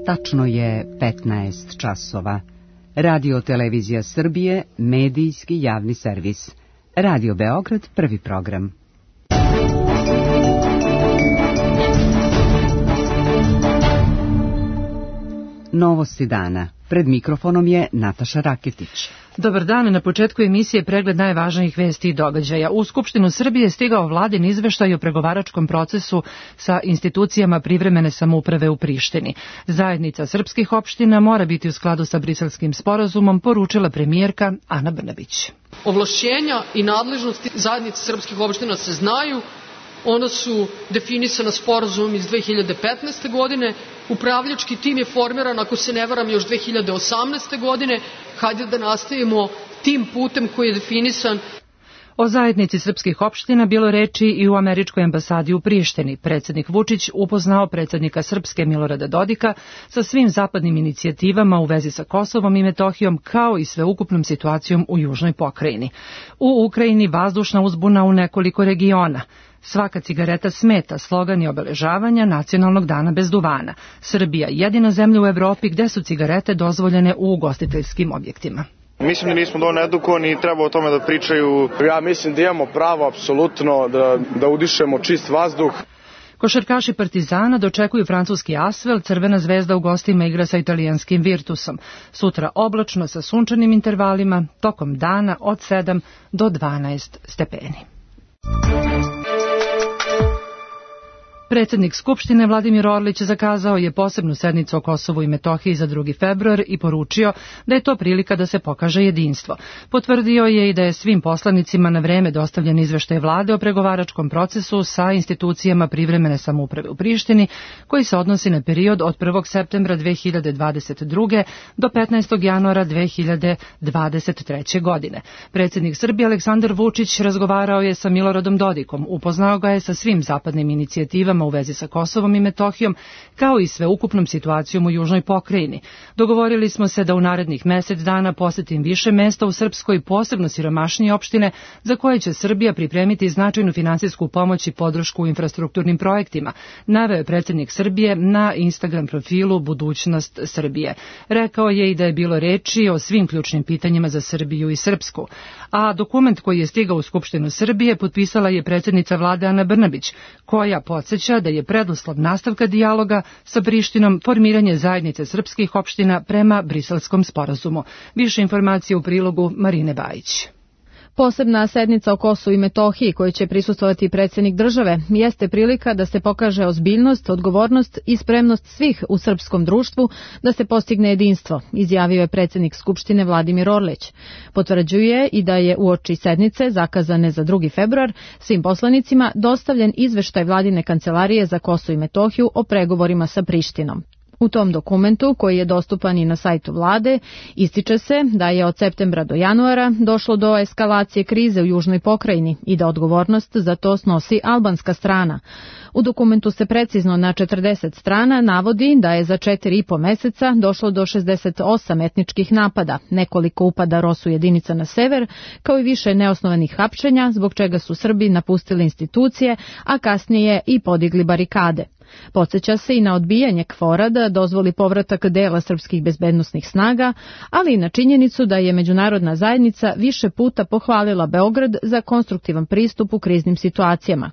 Tačno je 15 časova. Radio Televizija Srbije, medijski javni servis. Radio Beograd, prvi program. Novosti dana. Pred mikrofonom je Nataša Raketić. Dobar dan, na početku emisije pregled najvažnijih vesti i događaja. U Skupštinu Srbije stigao vladin izveštaj o pregovaračkom procesu sa institucijama privremene samouprave u Prištini. Zajednica srpskih opština mora biti u skladu sa Briselskim sporazumom, poručila premijerka Ana Brnabić. Ovlašćenja i nadležnosti zajednice srpskih opština se znaju. Ona su definisana sporazumom iz 2015. godine. Upravljački tim je formiran, ako se ne varam, još 2018. godine. Hajde da nastavimo tim putem koji je definisan. O zajednici srpskih opština bilo reči i u američkoj ambasadi u Prištini. Predsjednik Vučić upoznao predsjednika Srpske Milorada Dodika sa svim zapadnim inicijativama u vezi sa Kosovom i Metohijom, kao i sveukupnom situacijom u južnoj pokrajini. U Ukrajini vazdušna uzbuna u nekoliko regiona. Svaka cigareta smeta, slogan je obeležavanja Nacionalnog dana bez duvana. Srbija jedina zemlja u Evropi gde su cigarete dozvoljene u ugostiteljskim objektima. Mislim da nismo dovoljno edukovani i treba o tome da pričaju. Ja mislim da imamo pravo apsolutno da udišemo čist vazduh. Košarkaši Partizana dočekuju francuski Asvel, Crvena zvezda u gostima igra sa italijanskim Virtusom. Sutra oblačno sa sunčanim intervalima, tokom dana od 7 do 12 stepeni. Predsjednik Skupštine Vladimir Orlić zakazao je posebnu sednicu o Kosovu i Metohiji za 2. februar i poručio da je to prilika da se pokaže jedinstvo. Potvrdio je i da je svim poslanicima na vreme dostavljen izveštaj vlade o pregovaračkom procesu sa institucijama privremene samouprave u Prištini, koji se odnosi na period od 1. septembra 2022. do 15. januara 2023. godine. Predsjednik Srbije Aleksandar Vučić razgovarao je sa Miloradom Dodikom, upoznao ga je sa svim zapadnim inicijativama u vezi sa Kosovom i Metohijom, kao i sveukupnom situacijom u južnoj pokrajini. Dogovorili smo se da u narednih mesec dana posetim više mesta u Srpskoj, posebno siromašnije opštine, za koje će Srbija pripremiti značajnu finansijsku pomoć i podršku u infrastrukturnim projektima, naveo je predsjednik Srbije na Instagram profilu Budućnost Srbije. Rekao je i da je bilo reči o svim ključnim pitanjima za Srbiju i Srpsku. A dokument koji je stigao u Skupštinu Srbije potpisala je predsjednica vlade Ana Brnabić, koja podsjeća da je preduslov nastavka dijaloga sa Prištinom formiranje zajednice srpskih opština prema Briselskom sporazumu. Više informacije u prilogu Marine Bajić. Posebna sednica o Kosovu i Metohiji kojoj će prisustvovati predsjednik države jeste prilika da se pokaže ozbiljnost, odgovornost i spremnost svih u srpskom društvu da se postigne jedinstvo, izjavio je predsjednik Skupštine Vladimir Orlić. Potvrđuje i da je uoči sednice, zakazane za 2. februar, svim poslanicima dostavljen izveštaj vladine kancelarije za Kosovo i Metohiju o pregovorima sa Prištinom. U tom dokumentu, koji je dostupan i na sajtu vlade, ističe se da je od septembra do januara došlo do eskalacije krize u južnoj pokrajini i da odgovornost za to snosi albanska strana. U dokumentu se precizno na 40 strana navodi da je za 4,5 meseca došlo do 68 etničkih napada, nekoliko upada ROSU jedinica na sever, kao i više neosnovanih hapšenja, zbog čega su Srbi napustili institucije, a kasnije i podigli barikade. Podsjeća se i na odbijanje KFOR-a da dozvoli povratak dela srpskih bezbednosnih snaga, ali i na činjenicu da je međunarodna zajednica više puta pohvalila Beograd za konstruktivan pristup u kriznim situacijama.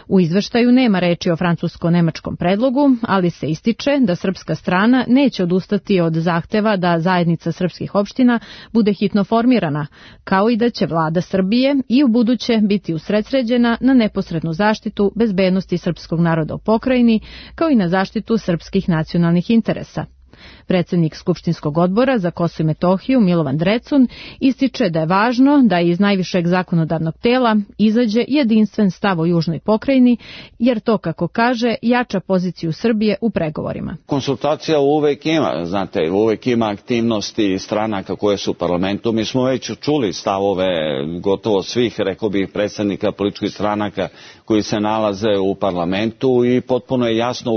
U izveštaju nema reči o francusko-nemačkom predlogu, ali se ističe da srpska strana neće odustati od zahteva da zajednica srpskih opština bude hitno formirana, kao i da će vlada Srbije i u buduće biti usredsređena na neposrednu zaštitu bezbednosti srpskog naroda u pokrajini, kao i na zaštitu srpskih nacionalnih interesa. Predsjednik Skupštinskog odbora za Kosovo i Metohiju Milovan Drecun ističe da je važno da iz najvišeg zakonodavnog tela izađe jedinstven stav o južnoj pokrajini, jer to, kako kaže, jača poziciju Srbije u pregovorima. Konsultacija uvek ima, znate, uvek ima aktivnosti stranaka koje su u parlamentu. Mi smo već čuli stavove gotovo svih, rekao bih, predstavnika političkih stranaka koji se nalaze u parlamentu i potpuno je jasno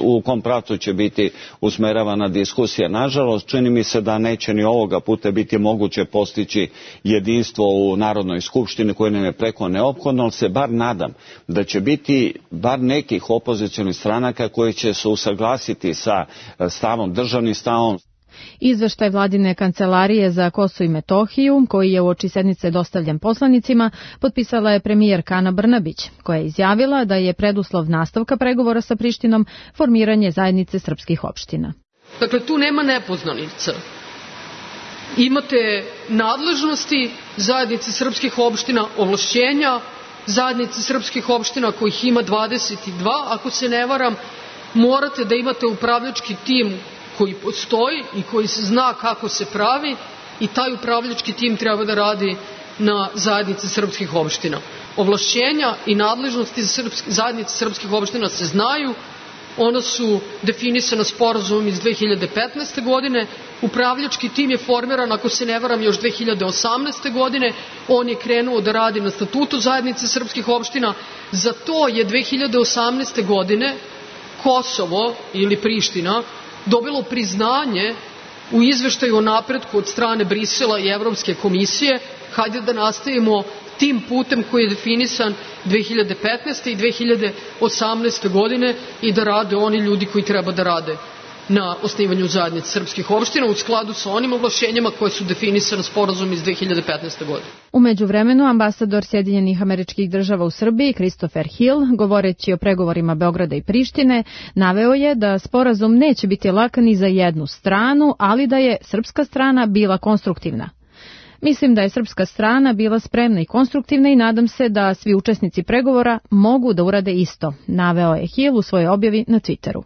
u kom pravcu će biti usmereno usmeravana diskusija. Nažalost, čini mi se da neće ni ovoga puta biti moguće postići jedinstvo u Narodnoj skupštini koje nam je preko neophodno, ali se bar nadam da će biti bar nekih opozicionih stranaka koji će se usaglasiti sa stavom, državnim stavom. Izveštaj vladine kancelarije za Kosovo i Metohiju, koji je uoči sednice dostavljen poslanicima, potpisala je premijerka Ana Brnabić, koja je izjavila da je preduslov nastavka pregovora sa Prištinom formiranje zajednice srpskih opština. Dakle, tu nema nepoznanica. Imate nadležnosti zajednice srpskih opština, ovlašćenja zajednice srpskih opština kojih ima 22, ako se ne varam, morate da imate upravljački tim koji postoji i koji se zna kako se pravi i taj upravljački tim treba da radi na zajednici srpskih opština. Ovlašćenja i nadležnosti zajednice srpskih opština se znaju, ona su definisana sporazumom iz 2015. godine, upravljački tim je formiran, ako se ne varam, još 2018. godine, on je krenuo da radi na statutu zajednice srpskih opština, za to je 2018. godine Kosovo ili Priština dobilo priznanje u izveštaju o napretku od strane Brisela i Evropske komisije. Hajde da nastavimo tim putem koji je definisan 2015. i 2018. godine i da rade oni ljudi koji treba da rade na osnivanju zajednice srpskih opština u skladu sa onim ovlašćenjima koje su definisane sporazum iz 2015. godine. U međuvremenu, ambasador Sjedinjenih Američkih Država u Srbiji, Christopher Hill, govoreći o pregovorima Beograda i Prištine, naveo je da sporazum neće biti lak ni za jednu stranu, ali da je srpska strana bila konstruktivna. Mislim da je srpska strana bila spremna i konstruktivna i nadam se da svi učesnici pregovora mogu da urade isto, naveo je Hill u svojoj objavi na Twitteru.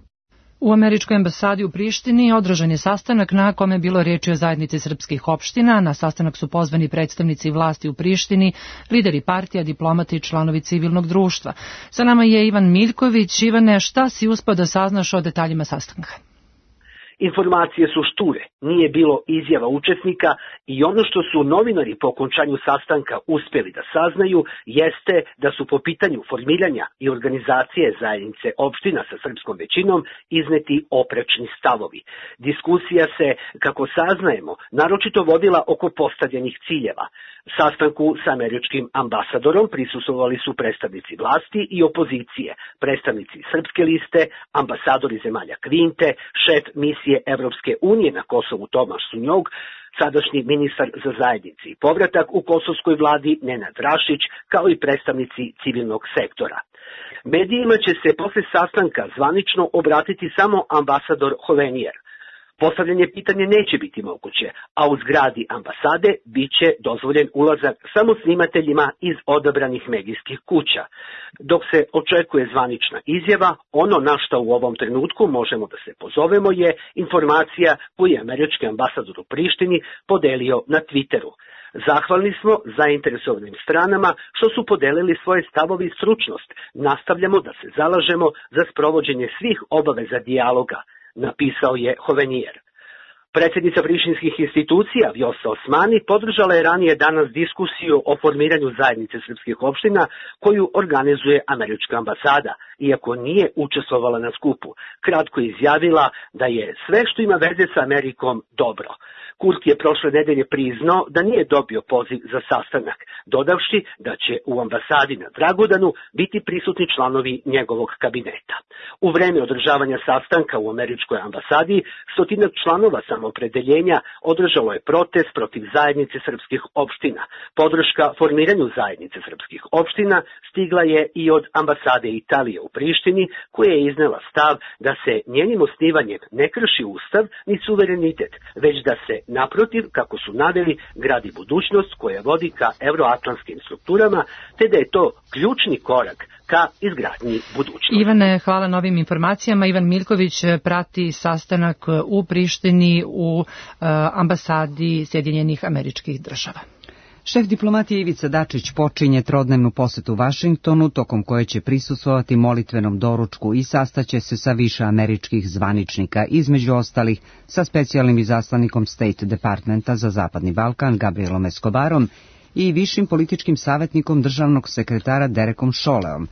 U američkoj ambasadi u Prištini održan je sastanak na kome je bilo reči o zajednici srpskih opština. Na sastanak su pozvani predstavnici vlasti u Prištini, lideri partija, diplomati i članovi civilnog društva. Sa nama je Ivan Miljković. Ivane, šta si uspeo da saznaš o detaljima sastanka? Informacije su šture, nije bilo izjava učesnika i ono što su novinari po okončanju sastanka uspjeli da saznaju jeste da su po pitanju formiranja i organizacije zajednice opština sa srpskom većinom izneti oprečni stavovi. Diskusija se, kako saznajemo, naročito vodila oko postavljenih ciljeva. Sastanku sa američkim ambasadorom prisustvovali su predstavnici vlasti i opozicije, predstavnici Srpske liste, ambasadori zemalja Kvinte, šef misije Evropske unije na Kosovu Tomaš Sunjog, sadašnji ministar za zajednici i povratak u kosovskoj vladi Nenad Rašić, kao i predstavnici civilnog sektora. Medijima će se posle sastanka zvanično obratiti samo ambasador Hovenijer. Postavljanje pitanja neće biti moguće, a u zgradi ambasade bit će dozvoljen ulazak samo snimateljima iz odabranih medijskih kuća. Dok se očekuje zvanična izjava, ono na što u ovom trenutku možemo da se pozovemo je informacija koju je američki ambasador u Prištini podelio na Twitteru. Zahvalni smo zainteresovanim stranama što su podelili svoje stavove i stručnost. Nastavljamo da se zalažemo za sprovođenje svih obaveza dijaloga, napisao je Hovenijer. Predsjednica prištinskih institucija Vjosa Osmani podržala je ranije danas diskusiju o formiranju zajednice srpskih opština koju organizuje američka ambasada, iako nije učestvovala na skupu. Kratko je izjavila da je sve što ima veze sa Amerikom dobro. Kurti je prošle nedelje priznao da nije dobio poziv za sastanak, dodavši da će u ambasadi na Dragodanu biti prisutni članovi njegovog kabineta. U vreme održavanja sastanka u američkoj ambasadi, stotinak članova samoopredeljenja održalo je protest protiv zajednice srpskih opština. Podrška formiranju zajednice srpskih opština stigla je i od ambasade Italije u Prištini, koja je iznela stav da se njenim osnivanjem ne krši ustav ni suverenitet, već da se naprotiv, kako su naveli, gradi budućnost koja vodi ka euroatlantskim strukturama, te da je to ključni korak ka izgradnji budućnosti. Ivane, hvala na ovim informacijama. Ivan Miljković prati sastanak u Prištini u ambasadi Sjedinjenih Američkih Država. Šef diplomatije Ivica Dačić počinje trodnevnu posetu Vašingtonu, tokom koje će prisustvovati molitvenom doručku i sastaće se sa više američkih zvaničnika, između ostalih sa specijalnim izaslanikom State Departmenta za Zapadni Balkan Gabrielom Escobarom i višim političkim savjetnikom državnog sekretara Derekom Šoleom.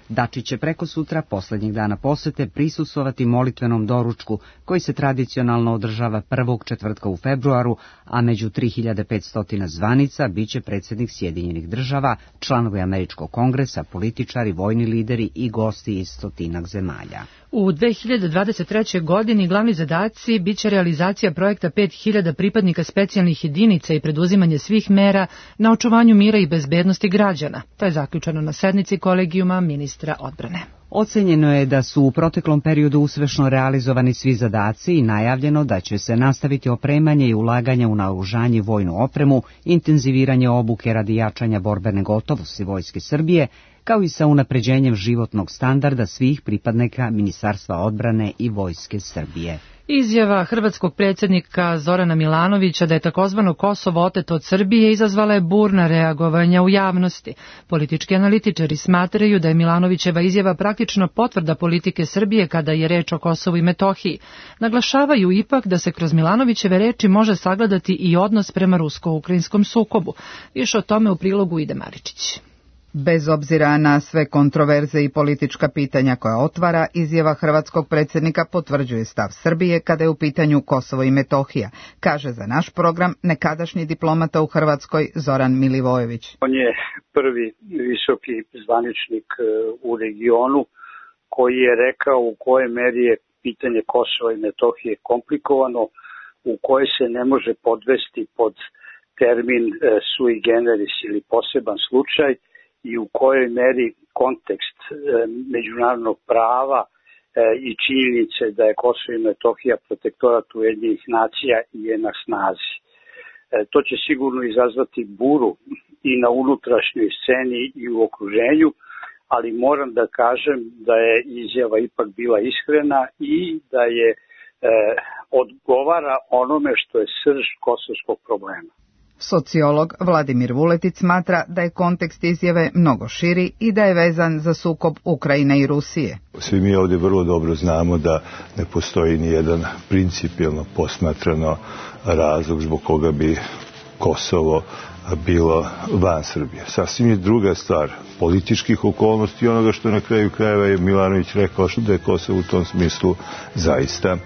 Dačić će preko sutra, posljednjeg dana posete, prisustvovati molitvenom doručku koji se tradicionalno održava prvog četvrtka u februaru, a među 3500 zvanica biće predsjednik Sjedinjenih država, članovi Američkog kongresa, političari, vojni lideri i gosti iz 100 zemalja. U 2023. godini glavni zadaci biće realizacija projekta 5000 pripadnika specijalnih jedinica i preduzimanje svih mera na očuvanju mira i bezbednosti građana. To je zaključeno na sednici kolegijuma ministra odbrane. Ocenjeno je da su u proteklom periodu uspešno realizovani svi zadaci i najavljeno da će se nastaviti opremanje i ulaganje u naoružanje i vojnu opremu, intenziviranje obuke radi jačanja borbene gotovosti Vojske Srbije, kao i sa unapređenjem životnog standarda svih pripadnika Ministarstva odbrane i Vojske Srbije. Izjava hrvatskog predsjednika Zorana Milanovića da je takozvano Kosovo oteto od Srbije izazvala je burna reagovanja u javnosti. Politički analitičari smatraju da je Milanovićeva izjava praktično potvrda politike Srbije kada je reč o Kosovu i Metohiji. Naglašavaju ipak da se kroz Milanovićeve reči može sagledati i odnos prema rusko-ukrajinskom sukobu. Više o tome u prilogu ide Maričić. Bez obzira na sve kontroverze i politička pitanja koja otvara, izjava hrvatskog predsjednika potvrđuje stav Srbije kada je u pitanju Kosovo i Metohija, kaže za naš program nekadašnji diplomata u Hrvatskoj Zoran Milivojević. On je prvi visoki zvaničnik u regionu koji je rekao u kojoj meri je pitanje Kosova i Metohije komplikovano, u kojoj se ne može podvesti pod termin sui generis ili poseban slučaj, i u kojoj meri kontekst međunarodnog prava i činjenice da je Kosovo i Metohija protektorat Ujedinjenih nacija je na snazi. To će sigurno izazvati buru i na unutrašnjoj sceni i u okruženju, ali moram da kažem da je izjava ipak bila iskrena i da je odgovara onome što je srž kosovskog problema. Sociolog Vladimir Vuletic smatra da je kontekst izjave mnogo širi i da je vezan za sukob Ukrajine i Rusije. Svi mi ovdje vrlo dobro znamo da ne postoji ni jedan principijelno posmatrano razlog zbog koga bi Kosovo bilo van Srbije. Sasvim je druga stvar političkih okolnosti i onoga što na kraju krajeva je Milanović rekao da je Kosovo u tom smislu zaista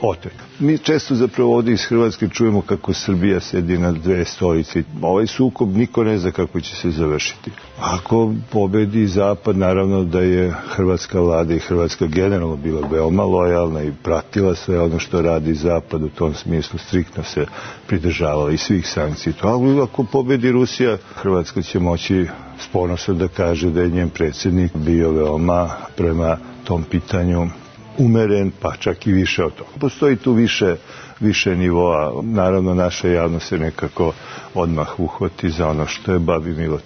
otet. Mi često zapravo ovdje iz Hrvatske čujemo kako Srbija sedi na dve stolice. Ovaj sukob niko ne zna kako će se završiti. Ako pobedi Zapad, naravno da je hrvatska vlada i Hrvatska generalno bila veoma lojalna i pratila sve ono što radi Zapad, u tom smislu striktno se pridržavala i svih sankcija. Ali ako pobedi Rusija, Hrvatska će moći s ponosom da kaže da je njen predsjednik bio veoma prema tom pitanju umeren, pa čak i više od toga. Postoji tu više nivoa. Naravno, naša javnost se nekako odmah uhvati za ono što je babi milo,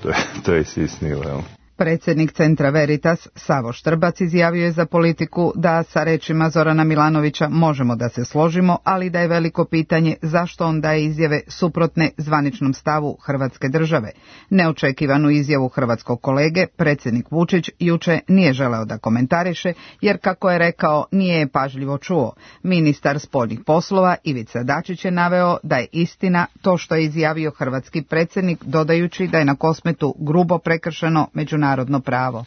to je sisnilo. Predsjednik Centra Veritas Savo Štrbac izjavio je za Politiku da sa rečima Zorana Milanovića možemo da se složimo, ali da je veliko pitanje zašto on daje izjave suprotne zvaničnom stavu Hrvatske države. Neočekivanu izjavu hrvatskog kolege predsjednik Vučić juče nije želeo da komentariše, jer kako je rekao nije je pažljivo čuo. Ministar spoljnih poslova Ivica Dačić je naveo da je istina to što je izjavio hrvatski predsjednik, dodajući da je na Kosmetu grubo prekršeno međunarodno pravo.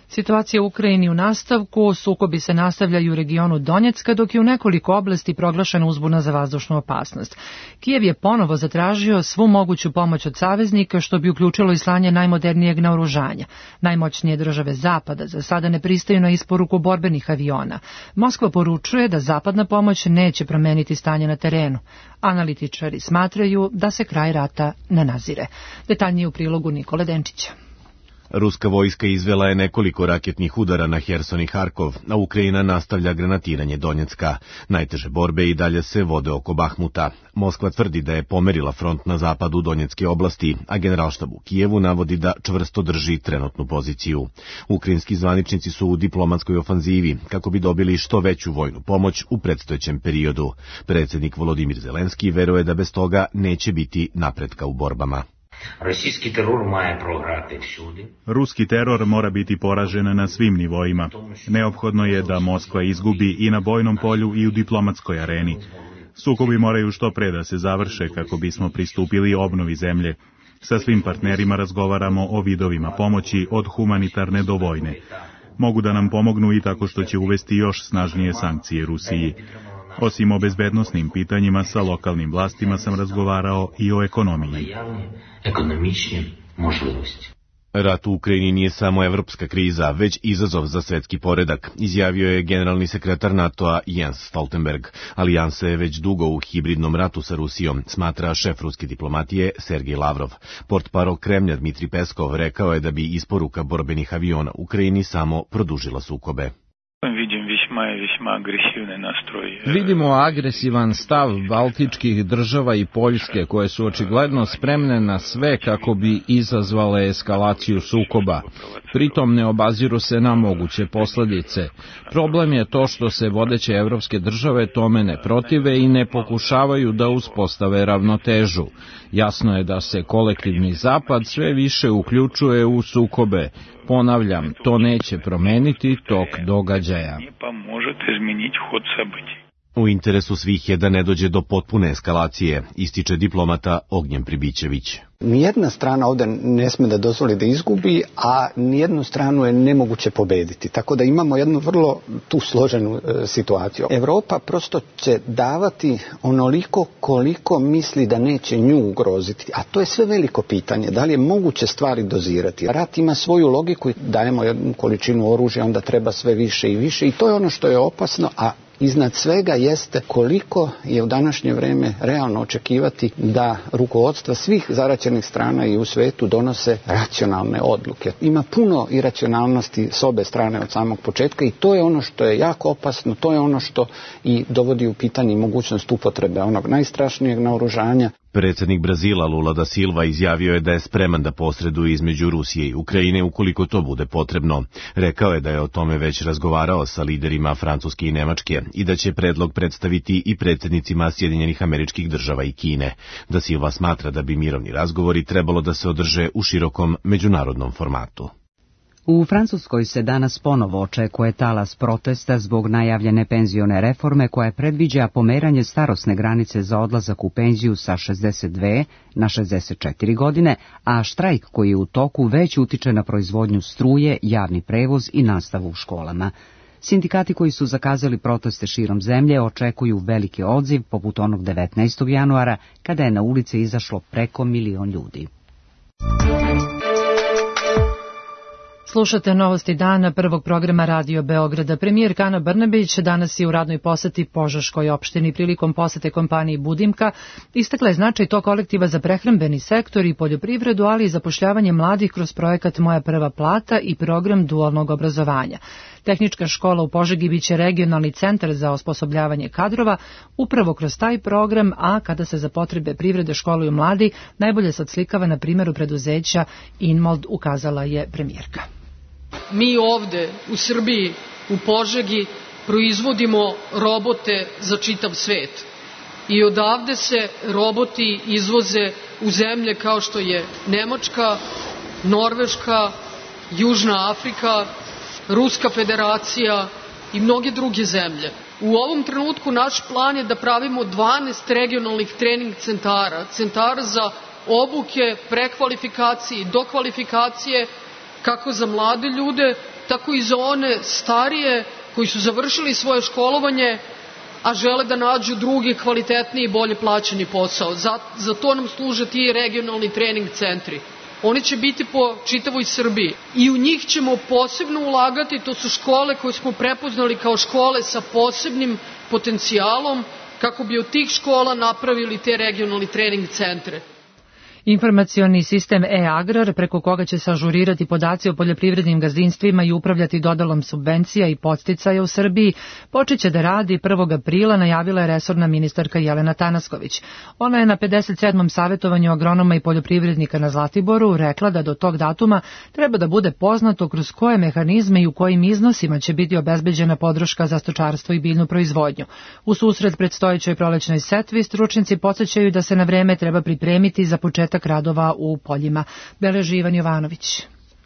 Situacija u Ukrajini u nastavku, sukobi se nastavljaju u regionu Donjecka, dok je u nekoliko oblasti proglašena uzbuna za vazdušnu opasnost. Kijev je ponovo zatražio svu moguću pomoć od saveznika, što bi uključilo i slanje najmodernijeg naoružanja. Najmoćnije države Zapada za sada ne pristaju na isporuku borbenih aviona. Moskva poručuje da zapadna pomoć neće promeniti stanje na terenu. Analitičari smatraju da se kraj rata ne nazire. Detaljnije u prilogu Nikole Denčića. Ruska vojska izvela je nekoliko raketnih udara na Herson i Harkov, a Ukrajina nastavlja granatiranje Donjecka. Najteže borbe i dalje se vode oko Bahmuta. Moskva tvrdi da je pomerila front na zapadu Donjecke oblasti, a generalštab u Kijevu navodi da čvrsto drži trenutnu poziciju. Ukrajinski zvaničnici su u diplomatskoj ofanzivi kako bi dobili što veću vojnu pomoć u predstojećem periodu. Predsjednik Volodimir Zelenski veruje da bez toga neće biti napretka u borbama. Ruski teror mora biti poražen na svim nivoima. Neophodno je da Moskva izgubi i na bojnom polju i u diplomatskoj areni. Sukobi moraju što pre da se završe kako bismo pristupili obnovi zemlje. Sa svim partnerima razgovaramo o vidovima pomoći od humanitarne do vojne. Mogu da nam pomognu i tako što će uvesti još snažnije sankcije Rusiji. Osim o bezbednosnim pitanjima, sa lokalnim vlastima sam razgovarao i o ekonomiji. Rat u Ukrajini nije samo evropska kriza, već izazov za svetski poredak, izjavio je generalni sekretar NATO-a Jens Stoltenberg. Alijansa je već dugo u hibridnom ratu sa Rusijom, smatra šef ruske diplomatije Sergej Lavrov. Portparol Kremlja Dmitri Peskov rekao je da bi isporuka borbenih aviona Ukrajini samo produžila sukobe. Vidimo agresivan stav baltičkih država i Poljske, koje su očigledno spremne na sve kako bi izazvale eskalaciju sukoba. Pritom ne obaziru se na moguće posljedice. Problem je to što se vodeće evropske države tome ne protive i ne pokušavaju da uspostave ravnotežu. Jasno je da se kolektivni zapad sve više uključuje u sukobe. Ponavljam, to neće promeniti tok događaja. U interesu svih je da ne dođe do potpune eskalacije, ističe diplomata Ognjen Pribićević. Nijedna strana ovdje ne sme da dozvoli da izgubi, a nijednu stranu je nemoguće pobediti. Tako da imamo jednu vrlo tu složenu situaciju. Evropa prosto će davati onoliko koliko misli da neće nju ugroziti. A to je sve veliko pitanje. Da li je moguće stvari dozirati? Rat ima svoju logiku, dajemo jednu količinu oružja, onda treba sve više i više. I to je ono što je opasno, a iznad svega jeste koliko je u današnje vrijeme realno očekivati da rukovodstva svih zaraćenih strana i u svetu donose racionalne odluke. Ima puno iracionalnosti s obe strane od samog početka i to je ono što je jako opasno, to je ono što i dovodi u pitanje mogućnost upotrebe onog najstrašnijeg naoružanja. Predsjednik Brazila Lula da Silva izjavio je da je spreman da posreduje između Rusije i Ukrajine ukoliko to bude potrebno. Rekao je da je o tome već razgovarao sa liderima Francuske i Nemačke i da će predlog predstaviti i predsjednicima Sjedinjenih Američkih Država i Kine. Da Silva smatra da bi mirovni razgovori trebalo da se održe u širokom međunarodnom formatu. U Francuskoj se danas ponovo očekuje talas protesta zbog najavljene penzione reforme koja predviđa pomeranje starosne granice za odlazak u penziju sa 62 na 64 godine, a štrajk koji je u toku već utiče na proizvodnju struje, javni prevoz i nastavu u školama. Sindikati koji su zakazali proteste širom zemlje očekuju veliki odziv poput onog 19. januara kada je na ulice izašlo preko 1 milion ljudi. Slušate novosti dana prvog programa Radio Beograda. Premijerka Ana Brnabić danas je u radnoj poseti Požeškoj opštini. Prilikom posete kompaniji Budimka istakla je značaj tog kolektiva za prehrambeni sektor i poljoprivredu, ali i zapošljavanje mladih kroz projekat Moja prva plata i program dualnog obrazovanja. Tehnička škola u Požegi biće regionalni centar za osposobljavanje kadrova upravo kroz taj program, a kada se za potrebe privrede školuju mladi, najbolje se odslikava na primjeru preduzeća Inmold, ukazala je premijerka. Mi ovde u Srbiji, u Požegi, proizvodimo robote za čitav svet. I odavde se roboti izvoze u zemlje kao što je Nemačka, Norveška, Južna Afrika, Ruska federacija i mnoge druge zemlje. U ovom trenutku naš plan je da pravimo 12 regionalnih trening centara, centara za obuke, prekvalifikacije i dokvalifikacije, kako za mlade ljude, tako i za one starije koji su završili svoje školovanje, a žele da nađu drugi, kvalitetniji i bolje plaćeni posao. Za to nam služe ti regionalni trening centri. Oni će biti po čitavoj Srbiji i u njih ćemo posebno ulagati. To su škole koje smo prepoznali kao škole sa posebnim potencijalom, kako bi od tih škola napravili te regionalni trening centre. Informacioni sistem e-agrar, preko koga će se ažurirati podaci o poljoprivrednim gazdinstvima i upravljati dodalom subvencija i podsticaja u Srbiji, počeće da radi 1. aprila, najavila je resorna ministarka Jelena Tanasković. Ona je na 57. savjetovanju agronoma i poljoprivrednika na Zlatiboru rekla da do tog datuma treba da bude poznato kroz koje mehanizme i u kojim iznosima će biti obezbeđena podrška za stočarstvo i biljnu proizvodnju. U susret predstojećoj prolećnoj setvi stručnjaci podsjećaju da se na vreme treba pripremiti za početak radova u poljima. Beleži Ivan Jovanović.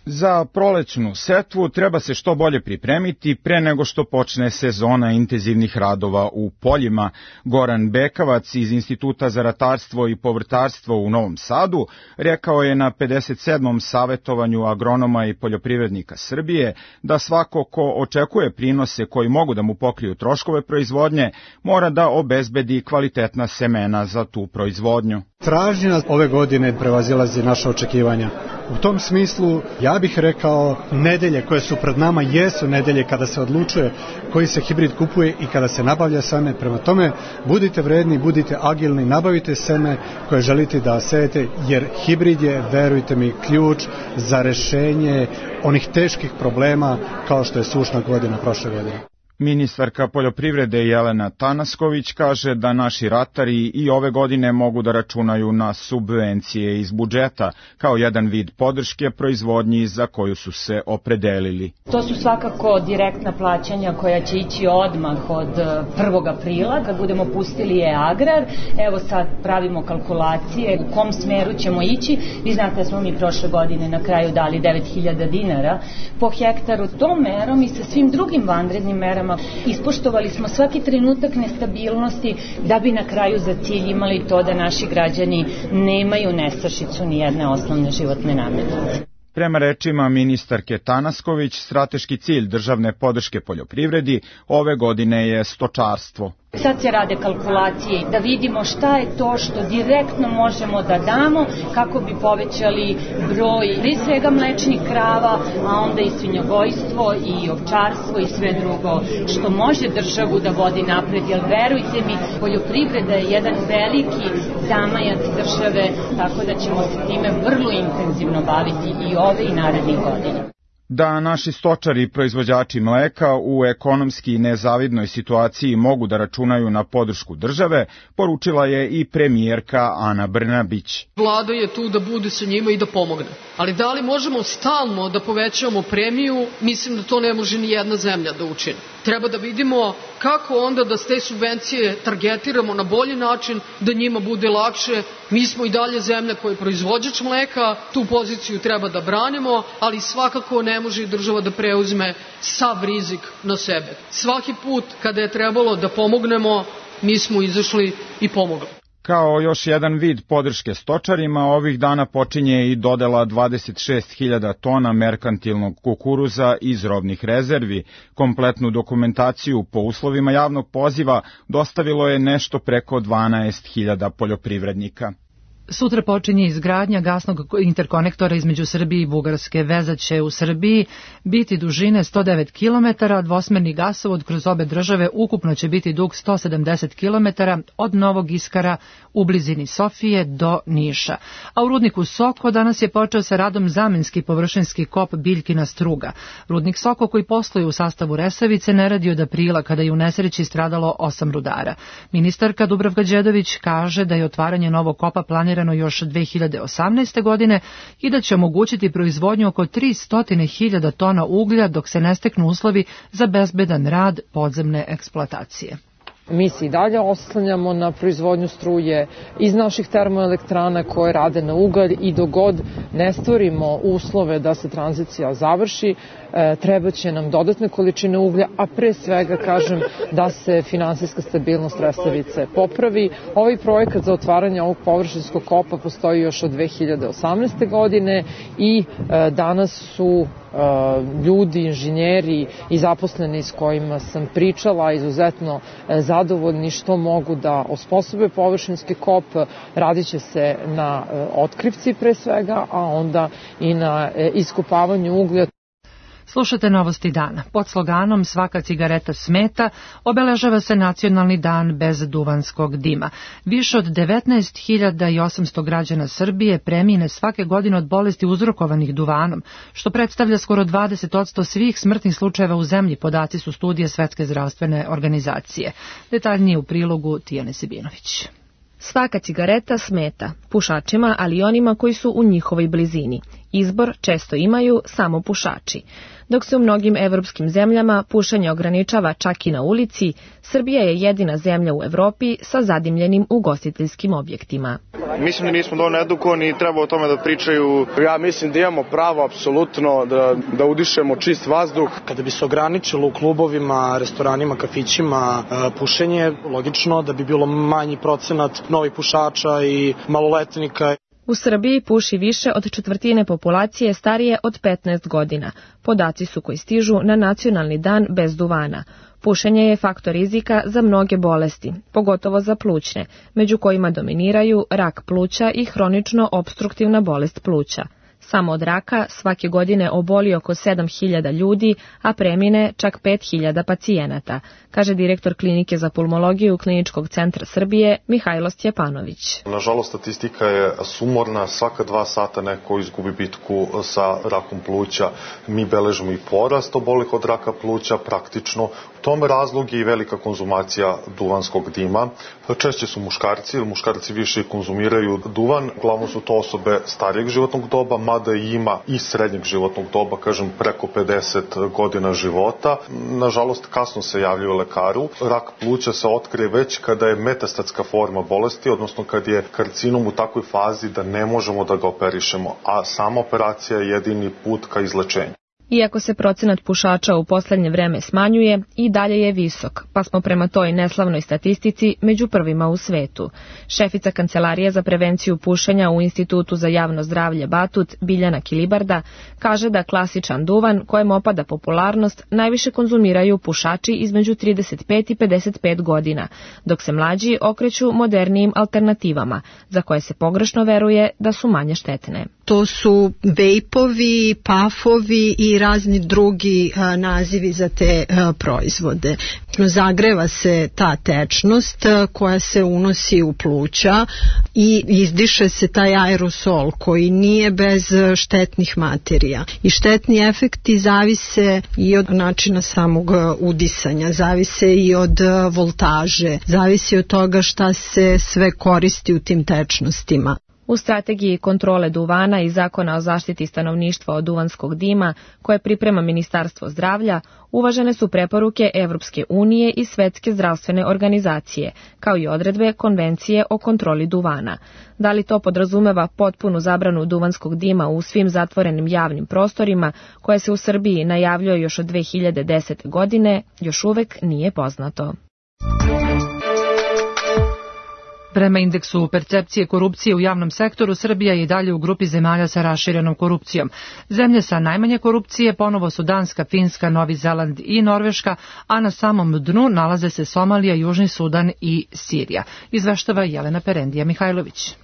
Za prolećnu setvu treba se što bolje pripremiti pre nego što počne sezona intenzivnih radova u poljima. Goran Bekavac iz Instituta za ratarstvo i povrtarstvo u Novom Sadu rekao je na 57. savetovanju agronoma i poljoprivrednika Srbije da svako ko očekuje prinose koji mogu da mu pokriju troškove proizvodnje mora da obezbedi kvalitetna semena za tu proizvodnju. Tražnja ove godine prevazilazi naša očekivanja. U tom smislu ja bih rekao nedelje koje su pred nama jesu nedelje kada se odlučuje koji se hibrid kupuje i kada se nabavlja seme. Prema tome budite vredni, budite agilni, nabavite seme koje želite da sejete jer hibrid je, verujte mi, ključ za rešenje onih teških problema kao što je sušna godina prošle godine. Ministarka poljoprivrede Jelena Tanasković kaže da naši ratari i ove godine mogu da računaju na subvencije iz budžeta kao jedan vid podrške proizvodnji za koju su se opredelili. To su svakako direktna plaćanja koja će ići odmah od 1. aprila kad budemo pustili e-agrar. Evo sad pravimo kalkulacije u kom smeru ćemo ići. Vi znate da smo mi prošle godine na kraju dali 9.000 dinara po hektaru. Tom merom i sa svim drugim vanrednim merama ispoštovali smo svaki trenutak nestabilnosti da bi na kraju za cilj imali to da naši građani nemaju nestašicu ni jedne osnovne životne namirnice. Prema rečima ministarke Tanasković, strateški cilj državne podrške poljoprivredi ove godine je stočarstvo. Sad se rade kalkulacije da vidimo šta je to što direktno možemo da damo kako bi povećali broj prije svega mlečnih krava, a onda i svinjogojstvo i ovčarstvo i sve drugo što može državu da vodi napred, jer verujte mi, poljoprivreda je jedan veliki zamajac države, tako da ćemo se time vrlo intenzivno baviti i ove i narednih godina. Da naši stočari i proizvođači mleka u ekonomski nezavidnoj situaciji mogu da računaju na podršku države, poručila je i premijerka Ana Brnabić. Vlada je tu da bude sa njima i da pomogne. Ali da li možemo stalno da povećavamo premiju, mislim da to ne može ni jedna zemlja da učini. Treba da vidimo kako onda da te subvencije targetiramo na bolji način, da njima bude lakše. Mi smo i dalje zemlja koja je proizvođač mleka, tu poziciju treba da branimo, ali svakako ne može i država da preuzme sav rizik na sebe. Svaki put kada je trebalo da pomognemo, mi smo izašli i pomogli. Kao još jedan vid podrške stočarima, ovih dana počinje i dodela 26.000 tona merkantilnog kukuruza iz robnih rezervi. Kompletnu dokumentaciju po uslovima javnog poziva dostavilo je nešto preko 12.000 poljoprivrednika. Sutra počinje izgradnja gasnog interkonektora između Srbije i Bugarske. Veza će u Srbiji biti dužine 109 km, a dvosmerni gasovod kroz obe države ukupno će biti dug 170 km od Novog Iskara u blizini Sofije do Niša. A u rudniku Soko danas je počeo sa radom zamenski površinski kop Biljkina struga. Rudnik Soko, koji posluje u sastavu Resavice, ne radi od aprila kada je u nesreći stradalo 8 rudara. Ministarka Dubravka Đedović kaže da je otvaranje novog kopa planirano još 2018. godine i da će omogućiti proizvodnju oko 300.000 tona uglja dok se ne steknu uslovi za bezbedan rad podzemne eksploatacije. Mi se i dalje oslanjamo na proizvodnju struje iz naših termoelektrana koje rade na ugalj i dok god ne stvorimo uslove da se tranzicija završi, treba će nam dodatne količine uglja, a pre svega kažem da se finansijska stabilnost Resavice popravi. Ovaj projekat za otvaranje ovog površinskog kopa postoji još od 2018. godine i danas su ljudi, inženjeri i zaposleni s kojima sam pričala izuzetno zadovoljni što mogu da osposobe površinski kop. Radit će se na otkrivci pre svega, a onda i na iskopavanju uglja. Slušate Novosti dana. Pod sloganom Svaka cigareta smeta obeležava se Nacionalni dan bez duvanskog dima. Više od 19.800 građana Srbije premine svake godine od bolesti uzrokovanih duvanom, što predstavlja skoro 20% svih smrtnih slučajeva u zemlji, podaci su studije Svetske zdravstvene organizacije. Detaljnije u prilogu Tijane Sibinović. Svaka cigareta smeta pušačima, ali i onima koji su u njihovoj blizini. Izbor često imaju samo pušači. Dok se u mnogim evropskim zemljama pušenje ograničava čak i na ulici, Srbija je jedina zemlja u Evropi sa zadimljenim ugostiteljskim objektima. Mislim da nismo dovoljno edukovani i treba o tome da pričaju. Ja mislim da imamo pravo apsolutno da udišemo čist vazduh. Kada bi se ograničilo u klubovima, restoranima, kafićima pušenje, logično da bi bilo manji procenat novih pušača i maloletnika. U Srbiji puši više od četvrtine populacije starije od 15 godina. Podaci su koji stižu na Nacionalni dan bez duvana. Pušenje je faktor rizika za mnoge bolesti, pogotovo za plućne, među kojima dominiraju rak pluća i hronično opstruktivna bolest pluća. Samo od raka svake godine oboli oko 7.000 ljudi, a premine čak 5.000 pacijenata, kaže direktor klinike za pulmologiju Kliničkog centra Srbije Mihajlo Stjepanović. Nažalost, statistika je sumorna, svaka 2 sata neko izgubi bitku sa rakom pluća. Mi beležimo i porast obolih od raka pluća praktično. U tome razlog je i velika konzumacija duvanskog dima. Češće su muškarci, jer muškarci više konzumiraju duvan. Uglavnom su to osobe starijeg životnog doba, mada ima i srednjeg životnog doba, kažem preko 50 godina života. Nažalost, kasno se javljaju lekaru. Rak pluća se otkrije već kada je metastatska forma bolesti, odnosno kad je karcinom u takvoj fazi da ne možemo da ga operišemo, a sama operacija je jedini put ka izlečenju. Iako se procenat pušača u poslednje vreme smanjuje, i dalje je visok, pa smo prema toj neslavnoj statistici među prvima u svetu. Šefica Kancelarije za prevenciju pušenja u Institutu za javno zdravlje Batut, Biljana Kilibarda, kaže da klasičan duvan, kojem opada popularnost, najviše konzumiraju pušači između 35 i 55 godina, dok se mlađi okreću modernijim alternativama, za koje se pogrešno veruje da su manje štetne. To su vejpovi, pafovi i razni drugi nazivi za te proizvode. Zagreva se ta tečnost koja se unosi u pluća i izdiše se taj aerosol koji nije bez štetnih materija. I štetni efekti zavise i od načina samog udisanja, zavise i od voltaže, zavisi od toga šta se sve koristi u tim tečnostima. U strategiji kontrole duvana i zakona o zaštiti stanovništva od duvanskog dima, koje priprema Ministarstvo zdravlja, uvažene su preporuke Evropske unije i Svetske zdravstvene organizacije, kao i odredbe Konvencije o kontroli duvana. Da li to podrazumeva potpunu zabranu duvanskog dima u svim zatvorenim javnim prostorima, koje se u Srbiji najavljuje još od 2010. godine, još uvek nije poznato. Prema indeksu percepcije korupcije u javnom sektoru, Srbija je i dalje u grupi zemalja sa raširenom korupcijom. Zemlje sa najmanje korupcije ponovo su Danska, Finska, Novi Zeland i Norveška, a na samom dnu nalaze se Somalija, Južni Sudan i Sirija. Izveštava Jelena Perendija Mihajlović.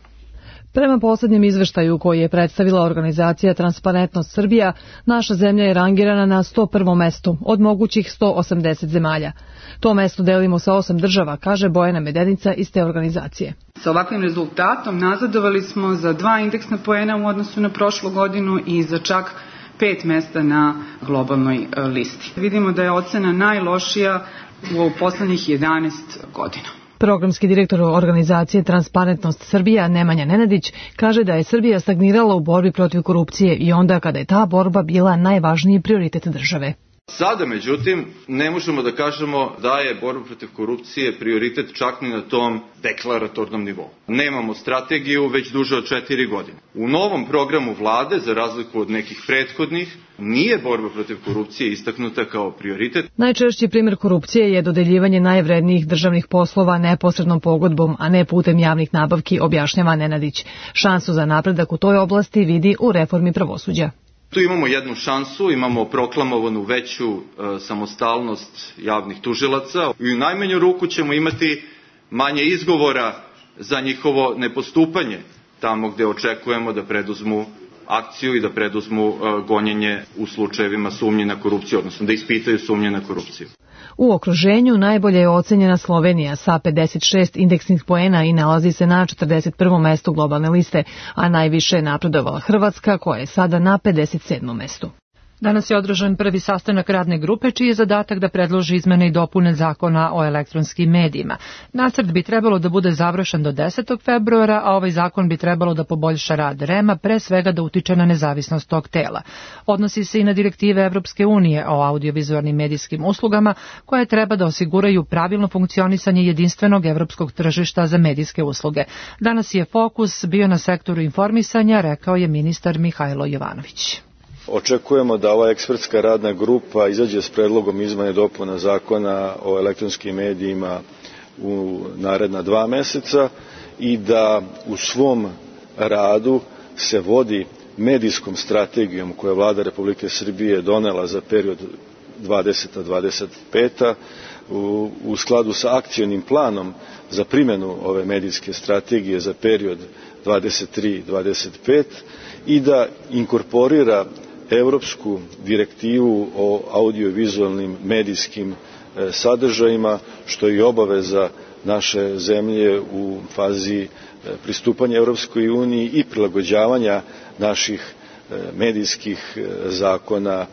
Prema poslednjem izveštaju koji je predstavila organizacija Transparentnost Srbija, naša zemlja je rangirana na 101. mestu od mogućih 180 zemalja. To mesto delimo sa 8 država, kaže Bojana Medenica iz te organizacije. Sa ovakvim rezultatom nazadovali smo za 2 indeksna poena u odnosu na prošlu godinu i za čak 5 mesta na globalnoj listi. Vidimo da je ocena najlošija u poslednjih 11 godina. Programski direktor organizacije Transparentnost Srbija Nemanja Nenadić kaže da je Srbija stagnirala u borbi protiv korupcije i onda kada je ta borba bila najvažniji prioritet države. Sada, međutim, ne možemo da kažemo da je borba protiv korupcije prioritet čak ni na tom deklaratornom nivou. Nemamo strategiju već duže od 4 godine. U novom programu vlade, za razliku od nekih prethodnih, nije borba protiv korupcije istaknuta kao prioritet. Najčešći primjer korupcije je dodeljivanje najvrednijih državnih poslova neposrednom pogodbom, a ne putem javnih nabavki, objašnjava Nenadić. Šansu za napredak u toj oblasti vidi u reformi pravosuđa. Tu imamo jednu šansu, imamo proklamovanu veću samostalnost javnih tužilaca i u najmanju ruku ćemo imati manje izgovora za njihovo nepostupanje tamo gde očekujemo da preduzmu akciju i da preduzmu gonjenje u slučajevima sumnje na korupciju, odnosno da ispitaju sumnje na korupciju. U okruženju najbolje je ocenjena Slovenija sa 56 indeksnih poena i nalazi se na 41. mestu globalne liste, a najviše je napredovala Hrvatska koja je sada na 57. mestu. Danas je održan prvi sastanak radne grupe čiji je zadatak da predloži izmene i dopune zakona o elektronskim medijima. Nacrt bi trebalo da bude završen do 10. februara, a ovaj zakon bi trebalo da poboljša rad REM-a, pre svega da utiče na nezavisnost tog tela. Odnosi se i na direktive Evropske unije o audiovizualnim medijskim uslugama, koje treba da osiguraju pravilno funkcionisanje jedinstvenog evropskog tržišta za medijske usluge. Danas je fokus bio na sektoru informisanja, rekao je ministar Mihajlo Jovanović. Očekujemo da ova ekspertska radna grupa izađe s predlogom izmene i dopuna zakona o elektronskim medijima u naredna 2 meseca i da u svom radu se vodi medijskom strategijom koju je Vlada Republike Srbije donela za period 2020-2025 u skladu sa akcionim planom za primjenu ove medijske strategije za period 23-25 i da inkorporira Evropsku direktivu o audiovizualnim medijskim sadržajima, što je i obaveza naše zemlje u fazi pristupanja Evropskoj uniji i prilagođavanja naših medijskih zakona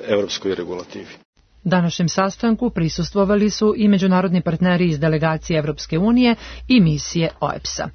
evropskoj regulativi. Današnjem sastanku prisustvovali su i međunarodni partneri iz delegacije Evropske unije i misije OEBS-a.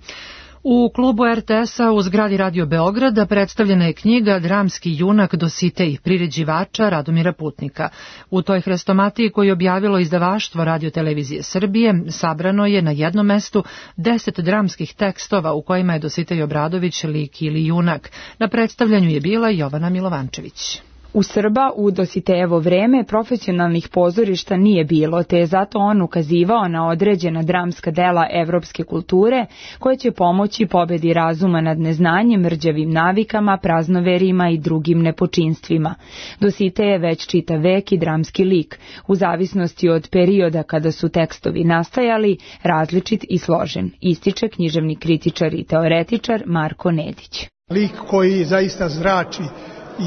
U klubu RTS-a u zgradi Radio Beograda predstavljena je knjiga Dramski junak Dositej priređivača Radomira Putnika. U toj hrestomatiji koju je objavilo izdavaštvo Radio-televizije Srbije sabrano je na jednom mestu 10 dramskih tekstova u kojima je Dositej Obradović lik ili junak. Na predstavljanju je bila Jovana Milovančević. U Srba u Dositejevo vreme profesionalnih pozorišta nije bilo, te je zato on ukazivao na određena dramska dela evropske kulture koje će pomoći pobedi razuma nad neznanjem, rđavim navikama, praznoverima i drugim nepočinstvima. Dositej je već čitav vek i dramski lik, u zavisnosti od perioda kada su tekstovi nastajali, različit i složen, ističe književni kritičar i teoretičar Marko Nedić. Lik koji zaista zrači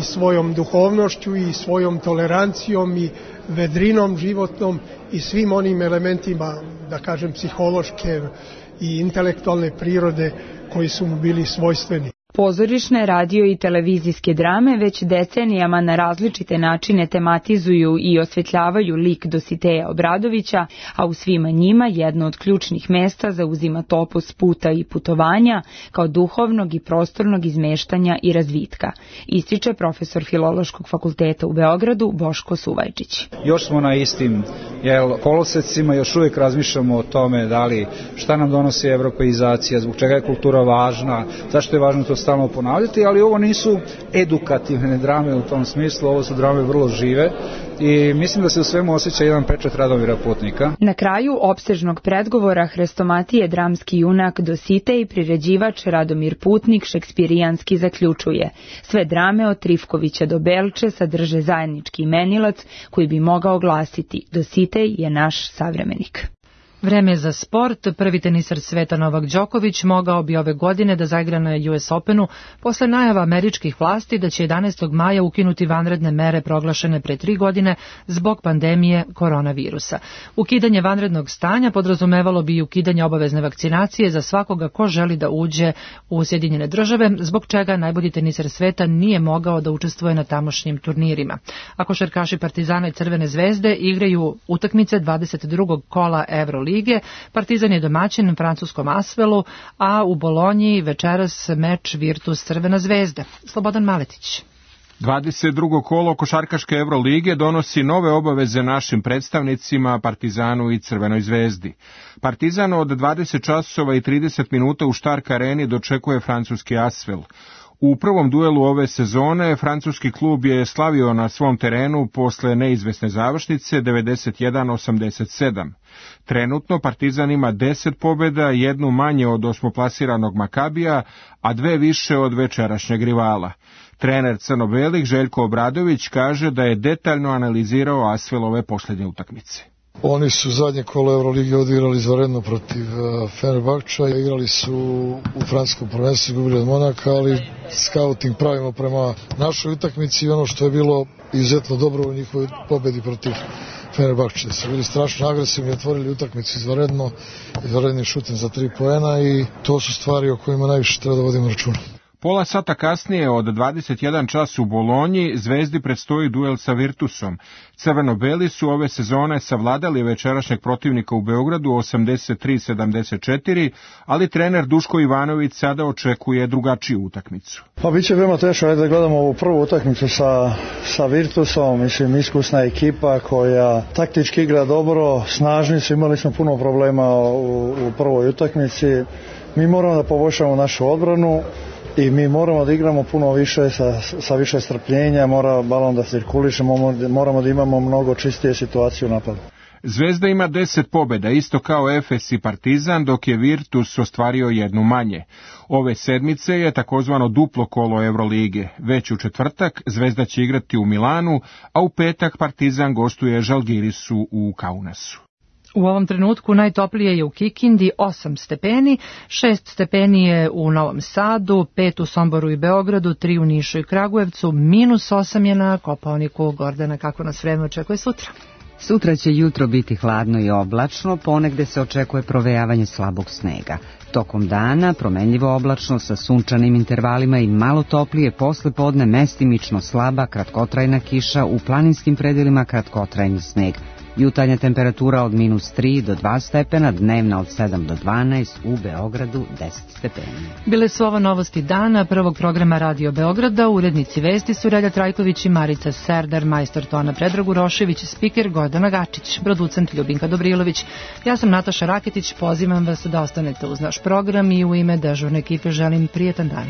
i svojom duhovnošću i svojom tolerancijom i vedrinom životnom i svim onim elementima, da kažem, psihološke i intelektualne prirode koji su mu bili svojstveni. Pozorišne, radio i televizijske drame već decenijama na različite načine tematizuju i osvetljavaju lik Dositeja Obradovića, a u svima njima jedno od ključnih mesta zauzima topos puta i putovanja kao duhovnog i prostornog izmeštanja i razvitka, ističe profesor Filološkog fakulteta u Beogradu Boško Suvajčić. Još smo na istim kolosecima, još uvijek razmišljamo o tome da li šta nam donosi evropeizacija, zbog čega je kultura važna, zašto je važno to stalno ponavljati, ali ovo nisu edukativne drame u tom smislu, ovo su drame vrlo žive i mislim da se u svemu osjeća jedan pečat Radomira Putnika. Na kraju opsežnog predgovora hrestomatije dramski junak Dositej priređivač Radomir Putnik šekspirijanski zaključuje: sve drame od Trifkovića do Belče sadrže zajednički imenilac koji bi mogao glasiti: Dositej je naš savremenik. Vreme za sport. Prvi tenisar sveta Novak Đoković mogao bi ove godine da zaigra na US Openu posle najava američkih vlasti da će 11. maja ukinuti vanredne mere proglašene pre 3 godine zbog pandemije koronavirusa. Ukidanje vanrednog stanja podrazumevalo bi i ukidanje obavezne vakcinacije za svakoga ko želi da uđe u Sjedinjene države, zbog čega najbolji tenisar sveta nije mogao da učestvuje na tamošnjim turnirima. A košarkaši Partizana i Crvene zvezde igraju utakmice 22. kola Euroligi. Partizan je domaćin francuskom Asvelu, a u Bolonji večeras meč Virtus Crvena zvezda. Slobodan Maletić. 22. kolo košarkaške Evrolige donosi nove obaveze našim predstavnicima Partizanu i Crvenoj zvezdi. Partizan od 20 časova i 30 minuta u Štark areni dočekuje francuski Asvel. U prvom duelu ove sezone francuski klub je slavio na svom terenu posle neizvesne završnice 91-87. Trenutno Partizan ima 10 pobjeda, jednu manje od osmoplasiranog Makabija, a 2 više od večerašnjeg rivala. Trener crno-belih Željko Obradović kaže da je detaljno analizirao Asvelove posljednje utakmice. Oni su zadnje kolo Euroligi odigrali izvanredno protiv Fenerbahča, igrali su u francuskom prvenstvu, izgubili od Monaka, ali scouting pravimo prema našoj utakmici i ono što je bilo izuzetno dobro u njihovoj pobedi protiv Fenerbahče. Su bili strašno agresivni, otvorili utakmicu izvanrednim šutem za 3 poena i to su stvari o kojima najviše treba da vodimo računa. Pola sata kasnije od 21 čas u Bolonji Zvezdi predstoji duel sa Virtusom. Crveno-beli su ove sezone savladali večerašnjeg protivnika u Beogradu 83-74, ali trener Duško Ivanović sada očekuje drugačiju utakmicu. Pa biće veoma teško, da gledamo ovu prvu utakmicu sa Virtusom, mislim iskusna ekipa koja taktički igra dobro, snažni su, imali smo puno problema u prvoj utakmici. Mi moramo da poboljšamo našu odbranu i mi moramo da igramo puno više sa više strpljenja, mora balon da cirkuliše, moramo da imamo mnogo čistije situacije u napadu. Zvezda ima 10 pobjeda, isto kao Efes i Partizan, dok je Virtus ostvario jednu manje. Ove sedmice je takozvano duplo kolo Evrolige. Već u četvrtak Zvezda će igrati u Milanu, a u petak Partizan gostuje Žalgirisu u Kaunasu. U ovom trenutku najtoplije je u Kikindi 8 stepeni, 6 stepeni je u Novom Sadu, 5 u Somboru i Beogradu, 3 u Nišu i Kragujevcu, -8 je na Kopaoniku. Gordana, kako nas vreme očekuje sutra? Sutra će jutro biti hladno i oblačno, ponegde se očekuje provejavanje slabog snega. Tokom dana promenljivo oblačno sa sunčanim intervalima i malo toplije, posle podne mestimično slaba kratkotrajna kiša, u planinskim predelima kratkotrajni sneg. Jutarnja temperatura od -3 do 2 stepena, dnevna od 7 do 12, u Beogradu 10 stepeni. Bile su ovo novosti dana prvog programa Radio Beograda. Urednici vesti su Relja Trajković i Marica Serdar, majstor tona Predrag Urošević, spiker Gordana Gačić, producent Ljubinka Dobrilović. Ja sam Nataša Raketić, pozivam vas da ostanete uz naš program i u ime dežurne ekipe želim prijetan dan.